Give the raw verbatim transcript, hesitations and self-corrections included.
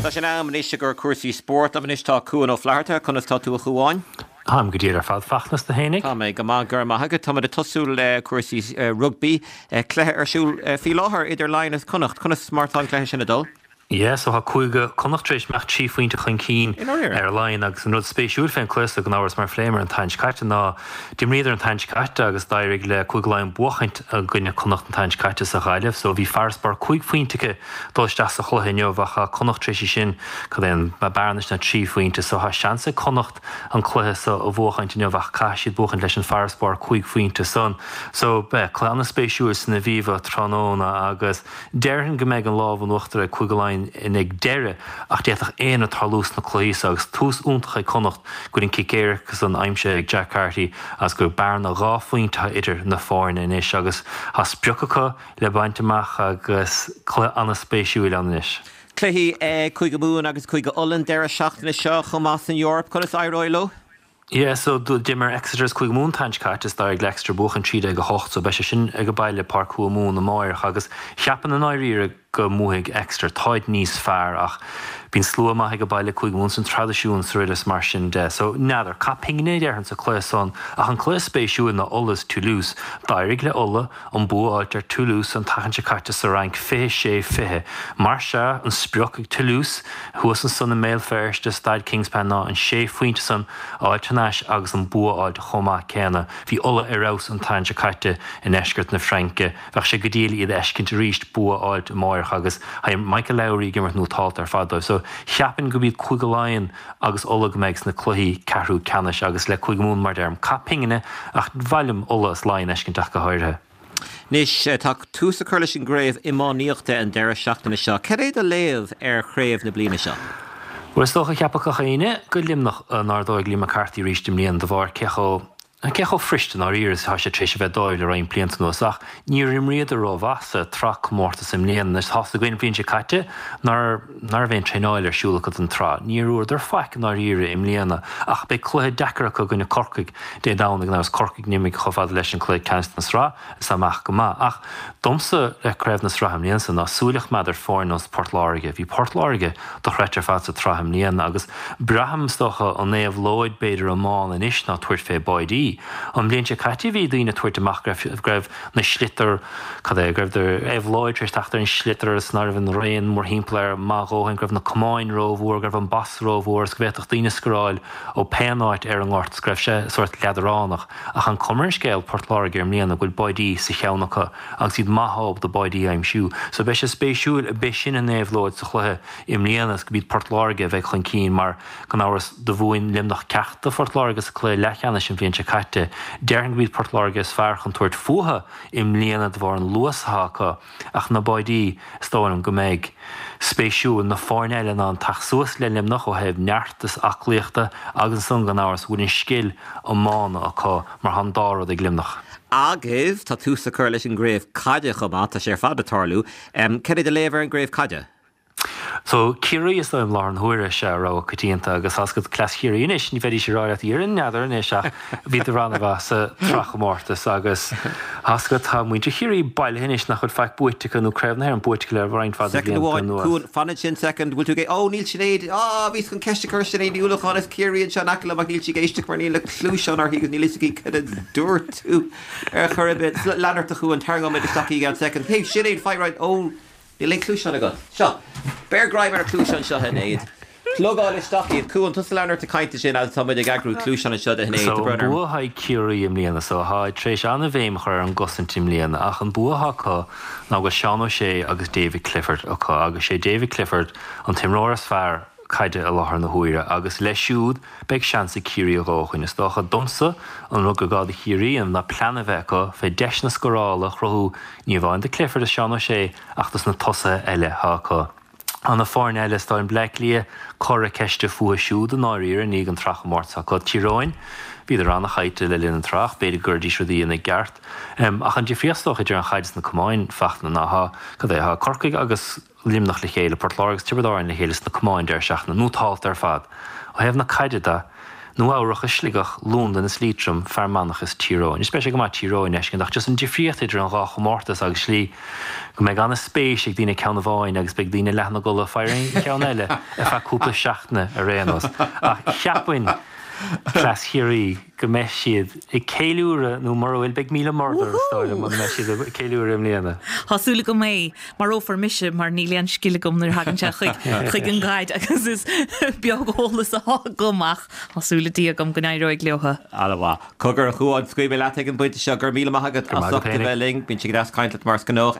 Tá sé in am anois i gcomhair cúrsaí spóirt. Liom anois tá Cuan Ó Flatharta, conas tá tú a Chuáin? Táim go diail ar fad Fachtna is tú fhéinig. Tá mé go maith go raibh maith agat. Táimid ag tosú le cúrsaí rugbaí cluiche ar siúl faoi láthair idir Laighin is Connacht. Conas mar tá an cluiche sin ag dul? Yeah, so tá Cúige Connacht tar éis imeacht trí phointe chun cinn ar Laighin agus an rud spéisiúil fén cluiche so gan amhras mar phléamar an tseachtain seo caite ná d'imríodar an tseachtain seo caite agus d'éirigh le Cúige Laighean buachaint i gcoinne Connacht an tseachtain seo caite sa Ghaillimh, so bhí farasbarr cúig phointe acu dul isteach sa chluiche inniu ach tá Connacht tar éis sin cad é an bearna ná trí phointe, so tá seans ag Connacht an cluiche so a bhuachaint inniu ach caithfidh siad buachaint leis an farasbarr cúig phointe san. So beidh cluiche an-spéisiúil san Aviva tráthnóna agus déarfainn go mbeidh an lámh in uachtar ag Cúige Laighean in ag deireadh ach d'fhéadfadh aon rud tarlú sna cluichí so agus tús iontach ag Connacht go bhfuil an cic éirice san aimsithe ag Jack Carty agus gur bearna dhá phointe idir na foirne anois agus tá sprioc acu le baint amach agus cluiche an-spéisiúil ann anois. Cluichí Cúige Mumhan agus Cúige Uladh an deireadh seachtaine seo chomh maith san Eoraip conas éireoidh leo? Yeah, so d'imir Exeter is Cúige Mumhan an tseachtain seo caite is d'éirigh le Exeter buachan trí déag a hocht, so beidh sé sin ag baile Páirc Thuamhumhan amárach agus cheapfainn i ndáiríre go mbuafaidh Exeter táid níos fearr ach bíonn slua maith ag baile Cúige Mumhan san traidisiún sa is mar sin de. So n'fheadar caith pingin déarfainn sa cluiche san ach an cluiche spéisiúil ná Uladh is Toulouse d'éirigh le Ulaidh an bua a fháilt ar Toulouse an tseachtain seo caite sa Fhrainc fiche sé fiche. Mar se an sprioc ag Toulouse thuas ansan i mBéal Feirste Staid Kingspan ná an sé phointe san a fháilt thar n-ais agus an bua a fháilt chomh maith céanna. Bhí Ulaidh ar fheabhas an tseachtain seo caite i ndeisceart na Fraince, bheadh sé go diail iad a fheiscint arís bua a fháilt amárach agus tá Michael Lowry ag imirt nótálta ar fad dóibh. So cheapfainn go b'iad Cúige Laighean agus Ulaidh go mbeidh sna cluichí ceathrú ceannais agus le Cúige Mumhan mar deirim caith pingine ach b'fhearr liom Ulaidh is Laighean a fheiscint ach go háirithe. Anois tá tús á chur leis an gcraobh iománaíochta an deireadh seachtaine seo. Cad é do léamh ar chraobh na bliana seo? Well is dócha cheapfadh gach éinne go Luimneach a n-ardóidh Liam McCarthy arís i mbliana de bharr cé chomh cé chomh fuirist i ndáiríre tá sé tar éis a bheith dóibh le roinnt blianta anuas ach níor imríodar rómhaith sa tsraithchomórtas i mbliana is tá a fhios againn an bhliain seo caite nár nár bhí aon traenáil ar siúl acu don tsraith. Níor fhuaireadar faic i ndáiríre i mbliana ach beidh cluiche deacair acu i gcoinne Corcaigh Dé Domhnaigh agus Corcaigh d'imigh chomh fada leis an cluiche ceannais na sraith is amach go maith. Ach domsa le craobh na sraithe i mbliana ná súil a choimeád ar fhoireann nós Port Láirge. Bhí Port Láirge dochreidte ar fad sa tsraith i mbliana agus braithim is dócha an éabhlóid b'fhéidir iomána anois ná tabhairt fé báidí. An bhliain seo caite bhí daoine tabhairt amach go raibh na sliotar cad é go raibh éabhlóid tar éis teacht ar an sliotar is ná raibh an raon mórthimpeall air maith dhóthain go raibh na camáin rómhór go raibh an bas rómhór is go bhféadfadh daoine scóráil ó pé áit ar an ngort go raibh sé sórt leadránach ach an chuma ar an scéal Port Láirge i mbliana go bhfuil báidí sa cheann acu agus iad maith ábalta báidí a aimsiú. So beidh sé spéisiúil be sin an éabhlóid sa chluiche i mbliana is go b'iad Port Láirge a bheidh chun cinn mar gan amhras do bhuaigh Luimneach ceacht do Phort Láirge sa cluiche leathcheannais an bhliain seo caite. Déarfainn go b'iad Port Láirge is fearr chun tabhairt fúthu i mbliana de bharr an luas atá acu ach na báidí is dóigh liom go mbeidh spéisiúil na foirne eile ná an teacht suas le Luimneach ó thaobh neart is aclaíochta agus ansan gan amhras bhfuil an scil iomána acu mar tá an dá rud ag Luimneach. Agus tá tús á chur leis an gcraobh caide chomh maith tá sé ar fad ag tarlú. Um, Cad é do léamh ar an gcraobh caide? So Ciarraí is dóigh liom an huaire se rogha coitianta agus tá cleas Chiarraí anois ní bheidís ag rá leat iar n'fheadar anois ach bhí an-mhaith sa tsraithchomórtas agus tá tá muintir Chiarraí bailithe anois nach bhfuil faic buaite nó craobh na hÉireann buaite le roinnt fada amháin fan sin second bhfuil tú gé ó níl Sinéad á bhí chun ceist a chur Sinéad Ní Uallacháin as Ciarraí anseo in aice liom ach níl sí ag éisteacht mar níl a cluasáin uirthi agus níl a fhios aici cad a dúirt tú ar chor ar bith lean ort a Chuáin tarraingeoidh isteach í gan second. Hey Sinéad faigh right ó Níl aon cluasáin agat. Seo, Beir greim ar cluasáin seo Sinéad. Plugáil isteach iad Cuan tusa lean ort ag caint sin agus tá muid ag eagrú cluasáin anseo do Shinéad So bua ag Ciarraí i mbliana so tá tar éis an-bhéim a chur ar an gcosaint i mbliana ach an bua acu ná go Seán Ó Sé agus David Clifford acu agus sé David Clifford an t-imreoir is fearr caide i láthair na huaire agus leis siúd beidh seans ag Ciarraí a dhóthain. Is dócha domsa an rud gur gá do Chiarraí an ná plean a bheith acu fé deiseanna scórála a chruthú ní amháin do Clifford is Seán Ó Sé ach dos na tosaithe eile acu. An na foirne eile tá an Bleá Cliath cora ceiste fúthu siúd i ndáiríre ní an tsraithchomórtas acu Tír Eoghain, bhí an-chaite le linn an tsraith, b'fhéidir gur dí rudaí ina gceart. Um, ach an difríocht idir an chaid na camáin Fachtna ná cad é tá Corcaigh agus Luimneach le chéile Port Láirge agus Tiobraid Árann le chéile sna camáin deireadh seachtaine nótálta ar fad. Ó thaobh na caide de Nua Eabhrac is Sligeach, Londain is Liatroim, Fear Manach is Tír Eoghain. Is beidh sé go maith Tír Eoghain a fheiscint ach just an difríocht idir an dhá chomórtas agus slí go mbeidh an-spéis ag daoine ceann amháin agus beidh daoine leath ina gcodladh faoi an cheann eile ar feadh cúpla seachtaine ar aon nós. Ach cheapfainn cleas Chiarraí go mbeidh siad ag ceiliúradh nó mura bhfuil beidh míle murder is dóigh liom mura mbeidh siad ag ceiliúradh i mbliana. Tá súil agam é, marófar mise mar níl aon scil agam nuair a thagann sé chuig chuig an gcaid agus is beag eolas atá agam ach tá súil le Dia agam go n-éireoidh leo. An-mhaith. Cogar a Chuáin, scaoilfidh mé leat ag an bpointe seo, go raibh míle maith agat as ucht a bheith linn, bíonn sé go deas caint leat mar is gnách.